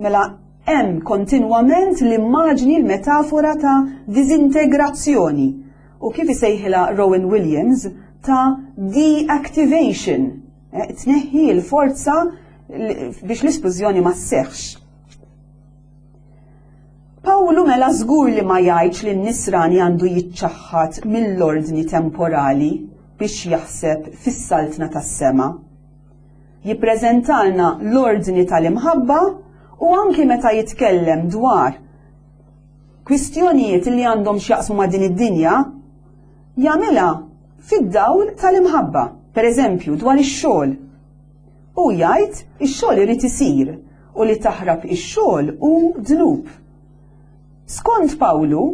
[SPEAKER 2] Mela hemm kontinwament l-immaġni l-metafora ta' diżintegrazzjoni u kif isejħilha Rowan Williams ta' deactivation, eh, tneħħi l-forza biex l-isplużjoni ma sseħħx. Pawlu mela żgur li ma jgħidx li n-nisrani għandu jiċċaħħad mill-ordni temporali biex jaħseb fis-saltna tas-sema. Jippreżentalna l-ordni tal-imħabba u anki meta jitkellem dwar kwistjonijiet li għandhom x'jaqsmu ma' din id-dinja, jagħmilha fid-dawl tal-imħabba. Per eżempju, dwar ix-xogħol. Hu jgħid ix-xogħol irid isir u li taħrab ix-xogħol hu dnub. Skont Pawlu,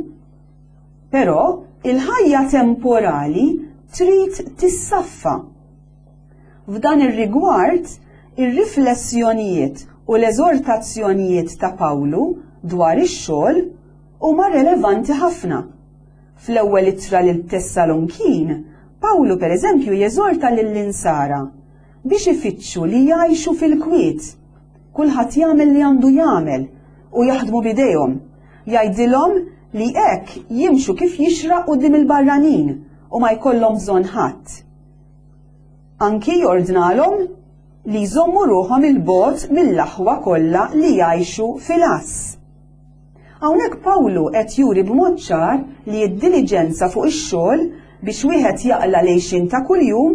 [SPEAKER 2] però, il-ħajja temporali trid tissaffa. F'dan ir-rigward, ir-riflessjonijiet u l-eżortazzjonijiet ta' Pawlu dwar ix-xogħol huma relevanti ħafna. Fl-ewwel ittra lil Tessalonkin, Pawlu pereżempju jeżorta lill-Insara biex ifittxu li jgħixu fil-kwiet. Kulħadd jagħmel li għandu jagħmel u jaħdmu b'idejhom. Jgħidilhom li hekk jimxu kif jixraq quddiem il-barranin u ma jkollhom bżonn ħadd. Anki jordnalhom li jżommu ruħhom 'il bogħod mill-aħwa kollha li jgħixu fil-għażż. Hawnhekk Pawlu qed juri b'mod ċar li d-diliġenza fuq ix-xogħol biex wieħed jaqla' l-għixien ta' kuljum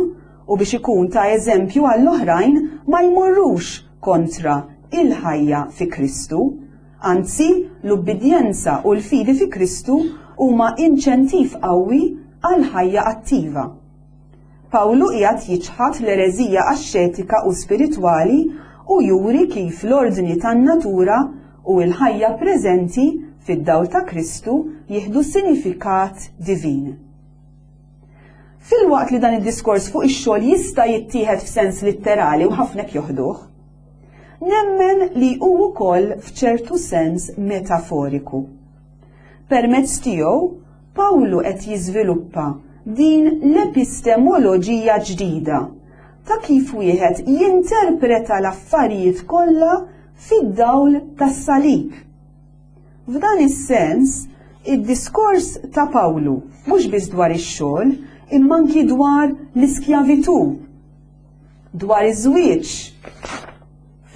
[SPEAKER 2] u biex ikun ta' eżempju għall-oħrajn ma jmorrux kontra il-ħajja fi Kristu. Anzi, l-ubbidjenza u l-fidi fi Kristu huma inċentiv qawwi għal ħajja attiva. Pawlu qiegħed jiċħad l-ereżija axxetika u spiritwali u juri kif l-ordni tan-natura u l-ħajja preżenti fid-dawl ta' Kristu jieħdu sinifikat divin. Filwaqt li dan id-diskors fuq ix-xogħol jista' jittieħed f'sens litterali u ħafna hekk joħduh, nemmen li hu wkoll f'ċertu sens metaforiku. Permezz tiegħu, Pawlu qed jiżviluppa din l-epistemoloġija ġdida ta' kif wieħed jinterpreta l-affarijiet kollha fid-dawl tas-salib. F'dan is-sens, id-diskors ta' Pawlu mhux biss dwar ix-xogħol, imma anki dwar l-iskjavitù, dwar iż-żwieġ,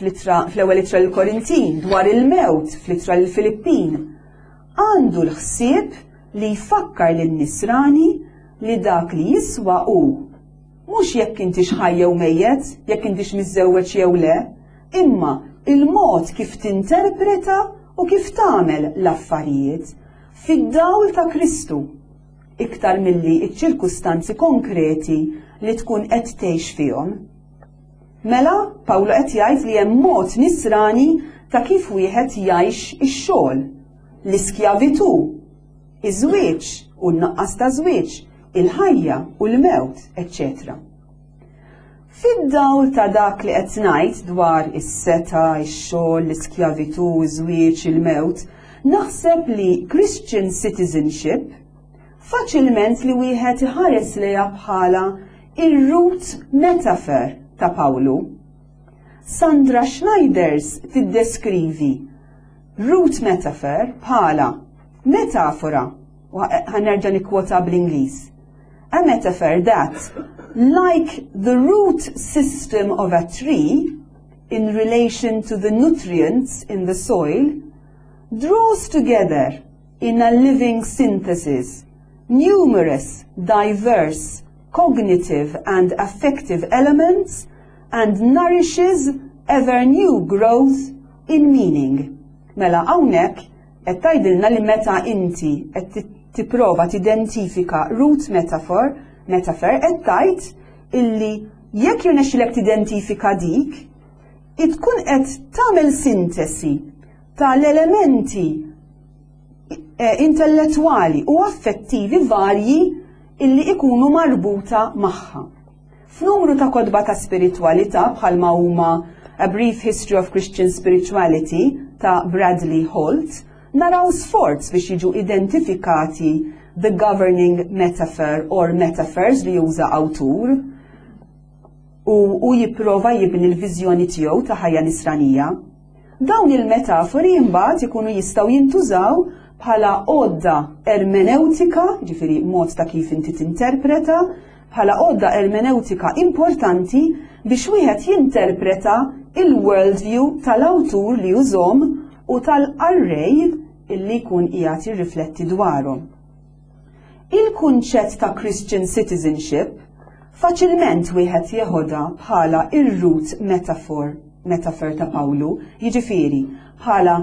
[SPEAKER 2] fl-ewwel ittra lill-Korintin, dwar il-mewt fl-ittra lill-Filippin, għandu l-ħsieb li jfakkar lin-Nisrani li dak li jiswa hu mhux jekk intix ħaj jew mejjet, jekk intix miżżewweġ jew le, imma il-mod kif tinterpreta u kif tagħmel l-affarijiet fid-dawl ta' Kristu, iktar milli ċ-ċirkustanzi konkreti li tkun qed tgħix fihom. Mela, Pawlu qed jgħid li hemm mod nisrani ta' kif wieħed jgħix ix-xogħol, l-iskjavitù, iż-żwieġ u n-nuqqas ta' żwieġ, il-ħajja u l-mewt, eċċetera. Fid-dawl ta' dak li qed ngħid dwar is-setgħa, ix-xogħol, l-iskjavitù, iż-żwieġ, il-mewt, naħseb li Christian citizenship faċilment li wieħed iħares lejha bħala ir-root metaphor ta' Pawlu. Sandra Schneiders tiddeskrivi root metaphor bħala metafora, u ħa nerġa' nikkwota bl-Ingliż. A metaphor that, like the root system of a tree, in relation to the nutrients in the soil, draws together in a living synthesis numerous, diverse, cognitive and affective elements and nourishes ever new growth in meaning. Mela hawnhekk qed tgħidilna li meta inti qed tipprova tidentifika root metaphor, metaphor qed tgħid illi jekk jirnexxilek tidentifika dik, tkun qed tagħmel sintesi tal-elementi eh, intellettwali u affettivi varji illi ikunu marbuta magħha. F'numru ta' kotba ta' spiritwalità bħalma huma A Brief History of Christian Spirituality ta' Bradley Holt, naraw sforz biex jiġu identifikati the governing metaphor or metaphors li juża awtur u hu jipprova jibni l-viżjoni tiegħu ta' ħajja nisranija. Dawn il-metafori imbagħad ikunu jistgħu jintużaw bħala għodda ermenewtika, ġifieri mod ta' kif inti tinterpreta, bħala għodda ermenewtika importanti biex wieħed jinterpreta il-worldview tal-awtur li jużhom u tal-qarrej illi jkun qiegħed jirrifletti dwarhom. Il-kunċett ta' Christian citizenship faċilment wieħed jeħodha bħala ir-root metaphor, metaphor ta' Pawlu, jiġifieri bħala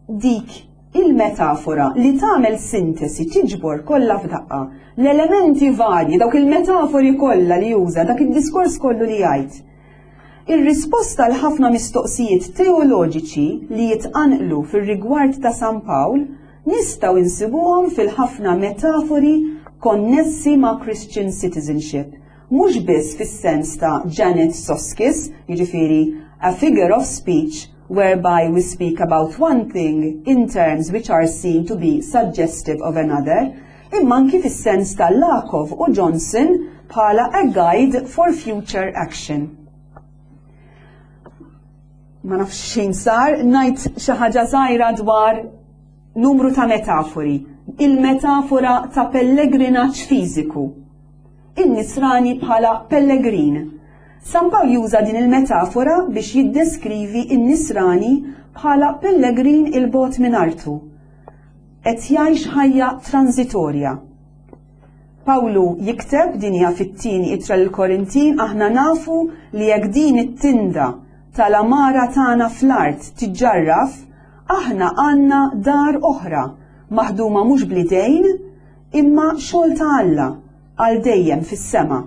[SPEAKER 2] dik il-metafora li tagħmel sintesi tiġbor kollha f'daqqa l-elementi varji, dawk il-metafori kollha li juża, dak id-diskors kollu li jgħid. Ir-risposta għal ħafna mistoqsijiet teoloġiċi li jitqanqlu fir-rigward ta' San Pawl nistgħu insibuhom fil-ħafna metafori konnessi ma' Christian citizenship, mhux biss fis-sens ta' Janet Soskice, jiġifieri a figure of speech whereby we speak about one thing in terms which are seen to be suggestive of another, imma anki fis-sens ta' Lakoff u Johnson bħala a guide for future action. Ma nafx xejn sar, ngħid xi ħaġa żgħira dwar numru ta' metafori. Il-metafora ta' pellegrinaġġ fiżiku. In-nisrani bħala pellegrin. San Pawl juża din il-metafora biex jiddeskrivi n-nisrani bħala pellegrin il-bogħod minn artu. Qed jgħix ħajja transitorja. Pawlu jikteb din hija fit-tieni ittra lill-Korintin aħna nafu li jekk din it-tinda tal-għamara tagħna fl-art tiġġarraf, aħna għandna dar oħra, maħduma mhux bl-idejn, imma xogħol ta' Alla, għal dejjem fis-sema.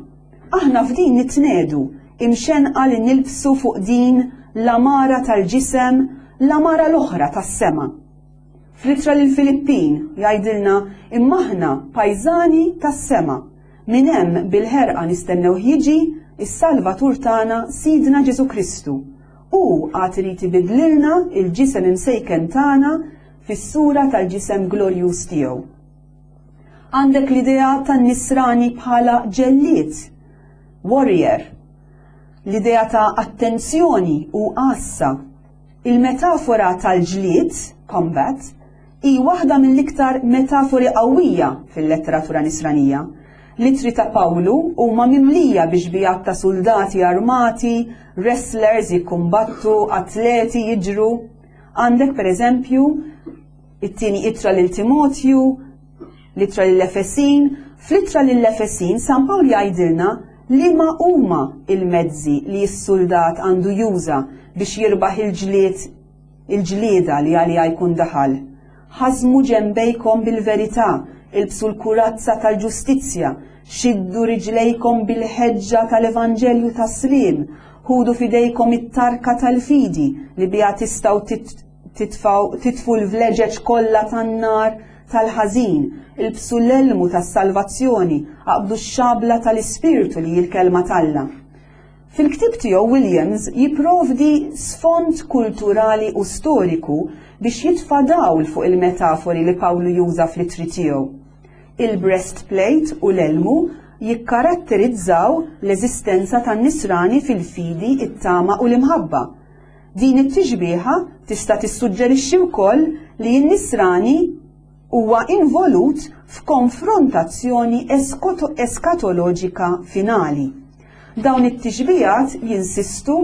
[SPEAKER 2] Aħna f'din nitnedu, imxenqa li nilbsu fuq din l-għamara tal-ġisem, l-għamara l-oħra tas-sema. Fl-ittra lill-Filippin jgħidilna imma aħna pajżani tas-sema. Minn hemm bil-ħerqa nistennewh jiġi is-Salvatur tagħna Sidna Ġesù Kristu. Hu għad irid ibiddlilna il-ġisem imsejken tagħna fis-sura tal-ġisem glorjuż tiegħu. Għandek l-idea tan-nisrani bħala ġellied, warrior, l-idea ta' attenzjoni u għassa Il-metafora tal-ġlied, combat, hi waħda mill-iktar metafori qawwija fil-letteratura Nisranija. L-ittri ta' Pawlu huma mimlija bi xbigħat ta' suldati armati, wrestlers jikkumbattu, atleti jiġru. Għandek pereżempju it-tieni ittra lil Timotju, L-ittra lill-Efesin, Fl-ittra lill-Efesin San Pawl jgħidilna liema huma il-mezzi li s-suldat għandu juża biex jirbaħ il-ġlied il-ġlieda li għaliha jkun daħal. Ħażmu ġenbejkom bil-verità, ilbsu l-kurazza tal-ġustizzja, xiddu riġlejkom bil-ħeġġa tal-evanġelju tas-sliem, ħudu f'idejkom it-tarka tal-fidi li biha tistgħu titfu l-vleġeġ kollha tan-nar tal-ħażin, ilbsu l-elmu tas-salvazzjoni, aqbdu x-xabla tal-Ispirtu li hi l-Kelma t'Alla. Fil-ktieb tiegħu Williams jipprovdi sfond kulturali u storiku biex jitfa' dawl fuq il-metafori li Pawlu juża fl-ittri tiegħu. Il-breastplate u l-elmu jikkaratterizzaw l-eżistenza tan-Nisrani fil-fidi, it-tama u l-imħabba. Din it-tixbiha tista' tissuġġerixxi wkoll li n-Nisrani huwa involut f'konfrontazzjoni eskatoloġika finali. Dawn it-tixbihat jinsistu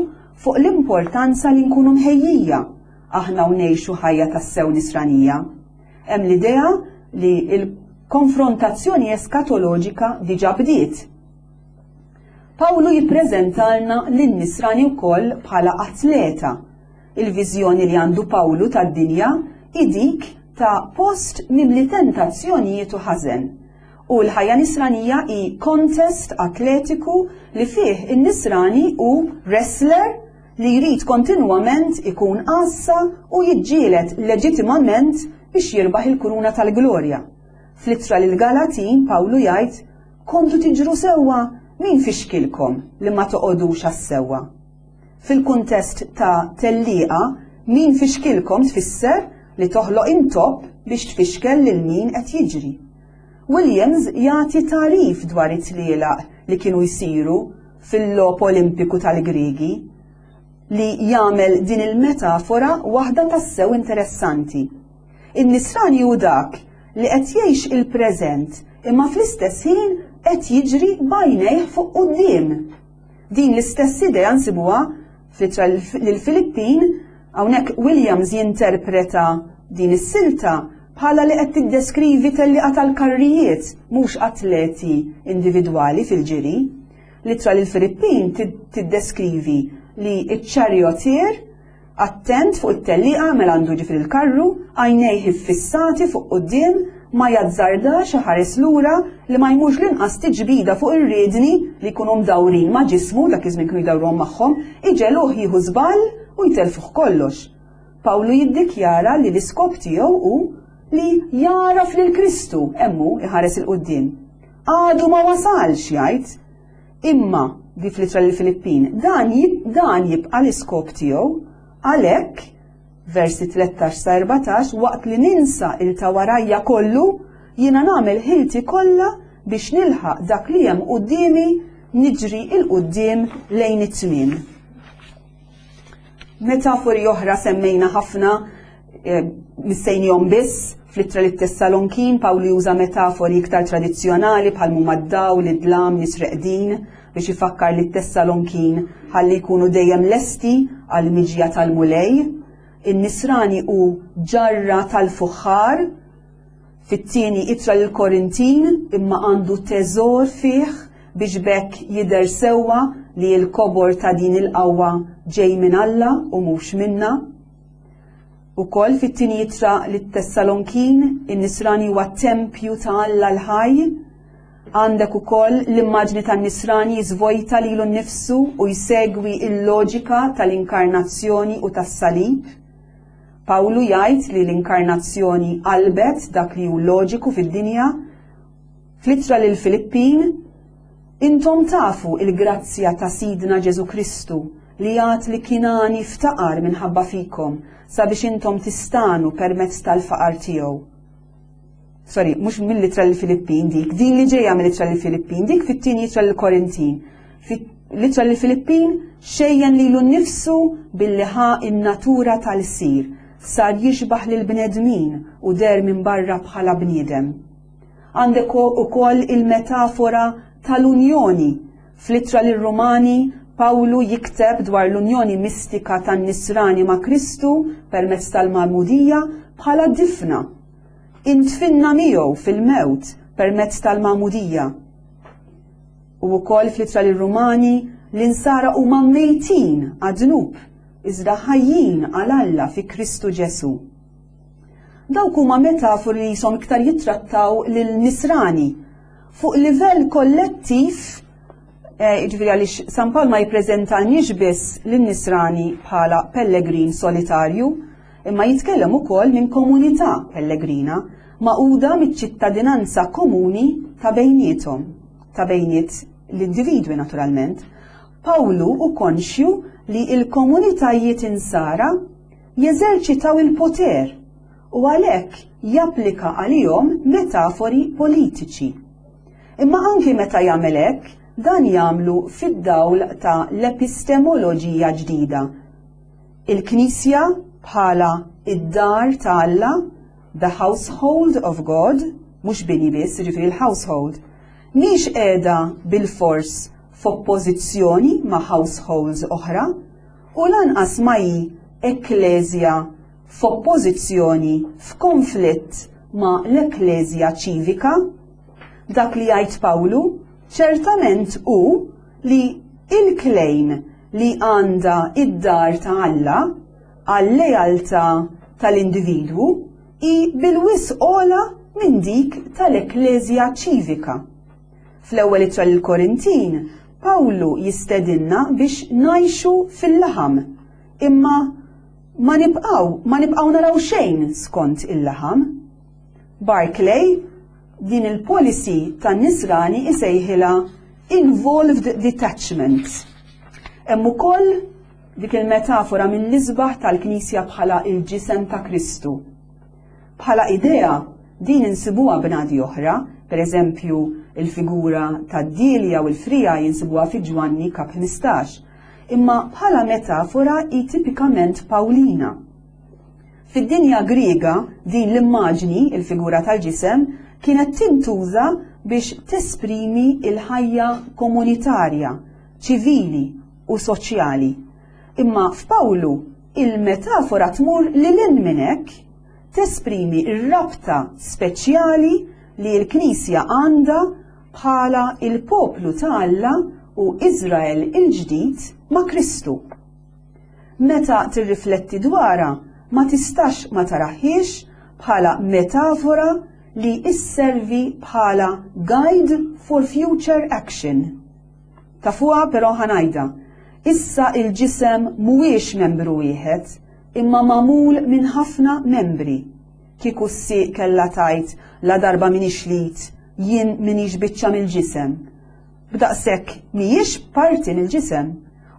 [SPEAKER 2] fuq l-importanza li nkunu mħejjija aħna u ngħixu ħajja tassew Nisranija. Hemm l-idea li l-konfrontazzjoni eskatoloġika diġà bdiet. Pawlu jippreżentalna lin-Nisrani wkoll bħala atleta. Il-viżjoni li għandu Pawlu tad-dinja hi dik ta' post mimli tentazzjonijiet u ħażen. U l-ħajja Nisranija hi kontest atletiku li fih in-Nisrani hu wrestler li jrid kontinwament ikun għassa u jiġġieled leġitimament biex jirbaħ il-kuruna tal-glorja. Fl-ittra lill-Galatin Pawlu jgħid Kontu tiġru sewwa, min fixkilkom li ma toqogħdux għas-sewwa? Fil-kuntest ta' tellieqa, min fixkilkom tfisser li toħloq intopp biex tfixkel lil min qed jiġri. Williams jagħti tagħrif dwar it-tlielaq li kienu jsiru fil-Logħob Olimpiku tal-Griegi li jagħmel din il-metafora waħda tassew interessanti. In-nisrani hu dak li qed jgħix il-preżent imma fl-istess ħin qed jiġri b'għajnejh fuq quddiem. Din l-istess idea nsibuha fl-ittra lill-Filippin, hawnhekk Williams jinterpreta din is-silta bħala li qed tiddeskrivi tellieqa tal-karrijiet mhux atleti individwali fil-ġiri. L-ittra lill-Filippin tiddeskrivi li ċ-charioteer Attent fuq it-tellieqa mela għandu jiġifieri l-karru, għajnejh iffissati fuq quddiem, ma jazzardax iħares lura li ma jmurx l-inqas tiġbida fuq ir-riedni li jkunu mdawrin ma' ġismu, dak iż-żmien kienu jdawruhom magħhom, iġegħluh jieħu żball u jtellfuh kollox. Pawlu jiddikjara li l-iskop tiegħu hu li jagħraf lil Kristu, hemm hu iħares 'il quddiem. Għadu ma wasalx, jgħid. Imma, di fl-ittra lill-Filippin, dan, dan jibqa' l-iskop tiegħu, għalhekk, versi 13 sa 14, waqt li ninsa il ta' warajja kollu, jiena nagħmel ħilti kollha biex nilħaq dak li hemm quddiemi niġri 'il quddiem lejn it-tmiem. Metafori oħra semmejna ħafna eh, missejnihom biss fl-ittra lit Tessalonkin Pawlu juża metafori iktar tradizzjonali bħal huma d-dawl, id-dlam, nies reqdin biex ifakkar lit Tessalonkin ħalli jkunu dejjem lesti għal miġja tal-Mulej. In-nisrani hu ġarra tal-fuħħar Fit-tieni ittra lill-Korintin, imma għandu teżor fih biex b'hekk jidher sewwa li l-kobor ta' din il-qawwa ġej minn Alla u mhux minna. Ukoll fit-tieni ittra lit-Tessalonkin, in-Nisrani huwa tempju ta' Alla l-ħaj. Għandek ukoll l-immaġni tan-Nisrani jiżvojta lilu nnifsu u jsegwi l-loġika tal-inkarnazzjoni u tas-salib. Pawlu jgħid li l-inkarnazzjoni qalbet dak li hu loġiku fid-dinja. Fl-ittra lill-Filippin, Intom tafu il-grazzja ta' Sidna Ġesù Kristu li għad li kien għani ftaqar minħabba fikom sabiex intom tistagħnu permezz tal-faqar tiegħu. Sorry, mhux mill-ittra lill-Filippin dik, din li ġejja mill-ittra lill-Filippin, dik fit-tieni ittra lill-Korintin. L-ittra lill-Filippin xejjen lilu nnifsu billi ħa n-natura tal-sir, sar jixbah lill-bnedmin u deher minn barra bħala bniedem. Għandek ukoll il-metafora tal-unjoni. Fl-ittra lir-Rumani, Pawlu jikteb dwar l-unjoni mistika tan-Nisrani ma' Kristu permezz tal-magħmudija bħala difna. Intfinna miegħu fil-mewt permezz tal-magħmudija. U wkoll fl-ittra lir-Rumani, l-insara huma mejtin għad-dnub, iżda ħajjin għal Alla fi Kristu Ġesù. Dawk huma metafori li jisom iktar jittrattaw lil nisrani fuq livell kollettiv, eh, jiġifieri għaliex San Pawl ma jippreżentanix biss lin-nisrani bħala pellegrin solitarju, imma jitkellem ukoll minn komunità pellegrina magħquda miċ-ċittadinanza komuni ta' bejniethom, ta' bejniet l-individwi naturalment. Pawlu hu konxju li l-komunitajiet insara jeżerċitaw il-poter u għalhekk japplika għalihom metafori politiċi. Imma anki meta jagħmel hekk, dan jagħmlu fid-dawl ta' l-epistemoloġija ġdida. Il-Knisja bħala id-dar ta' Alla, the household of God, mhux bini biss, jiġifieri l-household, mhix qiegħda bilfors f'oppożizzjoni ma' households oħra u lanqas ma hi ekkleżja f'oppożizzjoni, f'konflitt ma' l-ekkleżja ċivika. Dak li jgħid Pawlu ċertament hu li il-claim li għandha id-dar ta' Alla għal-lealtà tal-individwu hi bil-wisq ogħla minn dik tal-ekkleżja ċivika. Fl-ewwel ittra lill-Korintin, Pawlu jistedinna biex ngħixu fil-laħam, imma ma nibqgħu ma nibqgħu naraw xejn skont il-laħam. Barclay din il-policy tan-nisrani isejħilha involved detachment. Hemm ukoll dik il-metafora mill-isbaħ tal-Knisja bħala il-ġisem ta' Kristu. Bħala idea, din insibuha bnadi oħra, per eżempju, il-figura tad-dielja u l-frija jinsibuha fi Ġwanni kap 15, imma bħala metafora hi tipikament Pawlina. Fid-dinja Griega, din l-immaġni, il-figura tal-ġisem, kienet tintuża biex tesprimi l-ħajja komunitarja, ċivili u soċjali. Imma f'Pawlu, il-metafora tmur lil hinn minn hekk, tesprimi r-rabta speċjali li l-Knisja għandha bħala il-poplu ta' Alla u Iżrael il-ġdid ma' Kristu. Meta tirrifletti dwarha, ma tistax ma taraħiex bħala metafora li isservi bħala guide for future action. Tafuha però ħanajda. Issa il-ġisem mhuwiex membru wieħed, imma magħmul minn ħafna membri. Kieku s-sieq kellha tgħid la darba minix lit, jien minix biċċa mill-ġisem. B'daqshekk mhijiex parti mill-ġisem.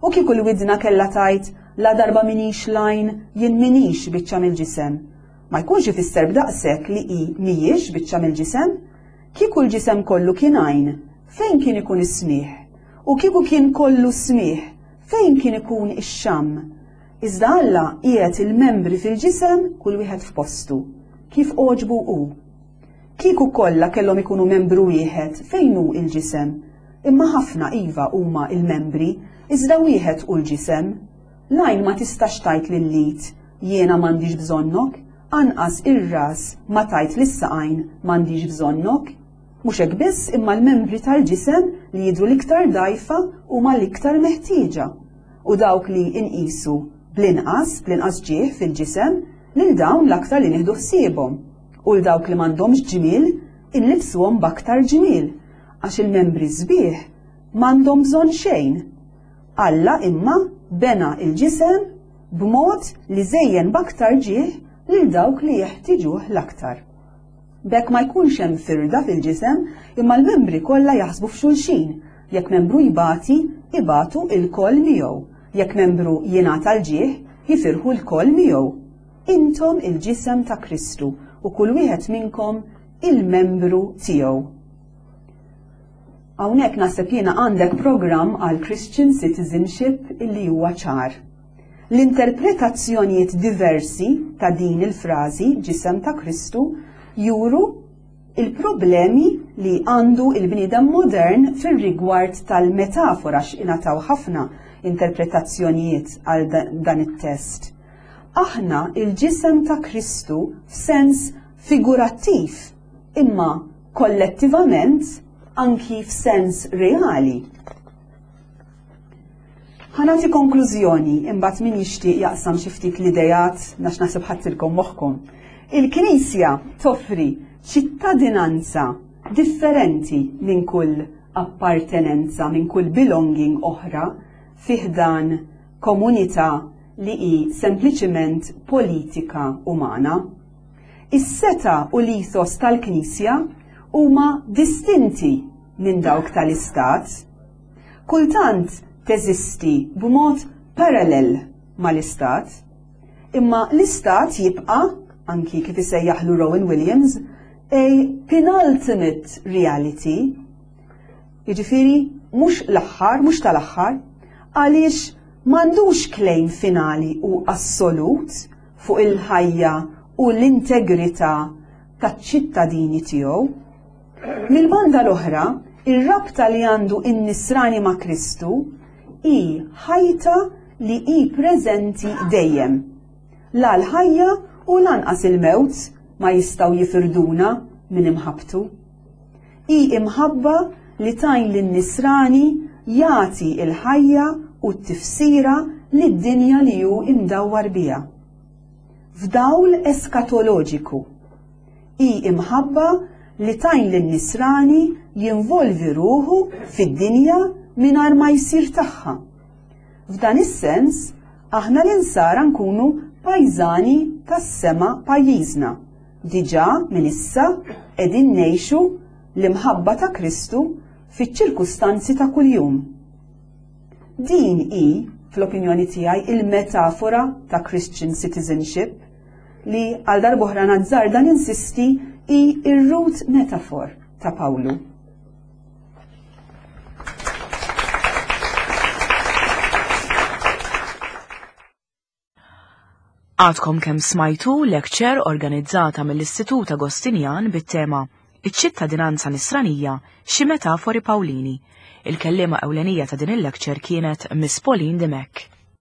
[SPEAKER 2] U kieku l-widna kellha tgħid ladarba m'iniex l-għajn jien m'iniex biċċa mill-ġisem. Ma jkunx ifisser b'daqshekk li hi mhijiex biċċa mill-ġisem. Kieku l-ġisem kollu kien għajn, fejn kien ikun is-smigħ? U kieku kien kollu smigħ, fejn kien ikun ix-xamm? Iżda Alla qiegħed il-membri fil-ġisem kull wieħed f'postu, kif għoġbu hu. Kieku kollha kellhom ikunu membru wieħed, fejn hu l-ġisem? Imma ħafna, iva, huma l-membri, iżda wieħed hu l-ġisem. L-għajn ma tistax tgħid lill-id, Jiena m'għandix bżonnok, anqas ir-ras ma tgħid lis-saqajn, M'għandix bżonnok. Mhux hekk biss, imma l-membri tal-ġisem li jidhru l-iktar dgħajfa huma l-iktar meħtieġa. U dawk li nqisu bl-inqas, bl-inqas ġieħ fil-ġisem, lil dawn l-aktar li nieħdu ħsiebhom. U 'l dawk li m'għandhomx ġmiel, inlibbsuhom b'aktar ġmiel, għax il-membri sbieħ m'għandhom bżonn xejn. Alla imma bena l-ġisem b'mod li żejjen b'aktar ġieħ lil dawk li jeħtiġuh l-aktar. B'hekk ma jkunx hemm firda fil-ġisem, imma l-membri kollha jaħsbu f'xulxin. Jekk membru jbati, ibatu lkoll miegħu. Jekk membru jingħata l-ġieħ, jifirħu lkoll miegħu. Intom il-ġisem ta' Kristu u kull wieħed minnkom il-membru tiegħu. Hawnhekk naħseb jiena għandek programm għal Christian Citizenship illi huwa ċar. L-interpretazzjonijiet diversi ta' din il-frażi ġisem ta' Kristu juru il-problemi li għandu il-bniedem modern fir-rigward tal-metafora x'ingħataw ħafna interpretazzjonijiet għal dan it-test. Aħna il-ġisem ta' Kristu f'sens figurattiv, imma kollettivament anki f'sens reali. Ħanati konklużjoni imbagħad min jixtieq jaqsam xi ftit l-idejat nax naħseb ħadtilkom moħħkom. Il-Knisja toffri ċittadinanza differenti minn kull appartenenza, minn kull belonging oħra fi ħdan komunità li hi sempliċiment politika umana. Is-setgħa u l-ethos tal-Knisja huma distinti minn dawk tal-Istat. Kultant teżisti b'mod parallel mal-Istat, imma l-Istat jibqa', anki kif isejjaħlu Rowan Williams, a penultimate reality Jiġifieri mhux l-aħħar, mhux tal-aħħar, għaliex m'għandux claim finali u assolut fuq il-ħajja u l-integrità taċ-ċittadini tiegħu. Mill-banda l-oħra, ir-rabta li għandu in-nisrani ma' Kristu hi ħajta li hi preżenti dejjem. La l-ħajja u lanqas il-mewt ma jistgħu jifirduna minn imħabbtu. Hi imħabba li tgħin lin-nisrani jagħti l-ħajja u t-tifsira lid-dinja li hu imdawwar biha. F'dawl eskatoloġiku. Hi imħabba li tgħin lin-nisrani jinvolvi ruħu fid-dinja mingħajr ma jsir tagħha. F'dan is-sens, aħna l-insara nkunu pajżani tas-sema pajjiżna. Diġà minn issa qegħdin ngħixu l-imħabba ta' Kristu fiċ-ċirkustanzi ta' kuljum. Din hi, fl-opinjoni tiegħi, il-metafora ta' Christian citizenship. li għal darb'oħra nazzarda ninsisti hi r-root metaphor ta' Pawlu.
[SPEAKER 1] Għadkom kemm smajtu lecture organizzata mill-Istitut Agostinjan bit-tema Iċ-ċittadinanza nisranija xi metafori Pawlini. Il-kelliema ewlenija ta' din il-lecture kienet Miss Pauline Dimech.